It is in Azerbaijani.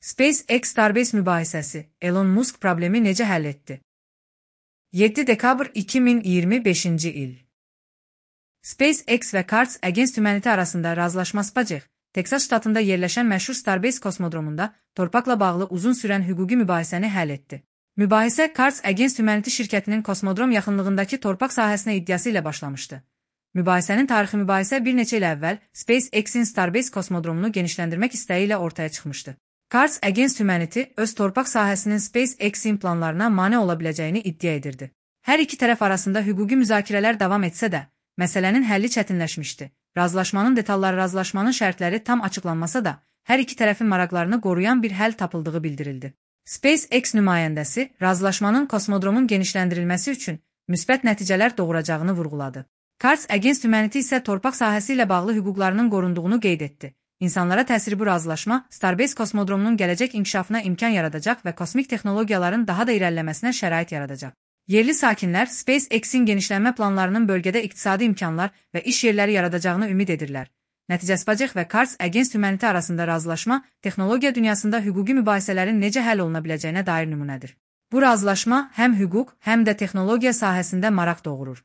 SpaceX Starbase mübahisəsi, Elon Musk problemi necə həll etdi? 7 dekabr 2025-ci il. SpaceX və Cards Against Humanity arasında razılaşma SpaceX, Texas ştatında yerləşən məşhur Starbase kosmodromunda torpaqla bağlı uzun sürən hüquqi mübahisəni həll etdi. Mübahisə Cards Against Humanity şirkətinin kosmodrom yaxınlığındakı torpaq sahəsinə iddiası ilə başlamışdı. Mübahisənin tarixi mübahisə bir neçə il əvvəl SpaceX-in Starbase kosmodromunu genişləndirmək istəyi ilə ortaya çıxmışdı. Cards Against Humanity öz torpaq sahəsinin SpaceX-in planlarına mane ola biləcəyini iddia edirdi. Hər iki tərəf arasında hüquqi müzakirələr davam etsə də, məsələnin həlli çətinləşmişdi. Razılaşmanın detalları, razılaşmanın şərtləri tam açıqlanmasa da, hər iki tərəfin maraqlarını qoruyan bir həll tapıldığı bildirildi. SpaceX nümayəndəsi razılaşmanın kosmodromun genişləndirilməsi üçün müsbət nəticələr doğuracağını vurğuladı. Cards Against Humanity isə torpaq sahəsi ilə bağlı hüquqlarının qorunduğunu qeyd etdi. İnsanlara təsiri bu razılaşma Starbase kosmodromunun gələcək inkişafına imkan yaradacaq və kosmik texnologiyaların daha da irəliləməsinə şərait yaradacaq. Yerli sakinlər SpaceX-in genişlənmə planlarının bölgədə iqtisadi imkanlar və iş yerləri yaradacağını ümid edirlər. Nəticə SpaceX və Cards Against Humanity arasında razılaşma texnologiya dünyasında hüquqi mübahisələrin necə həll oluna biləcəyinə dair nümunədir. Bu razılaşma həm hüquq, həm də texnologiya sahəsində maraq doğurur.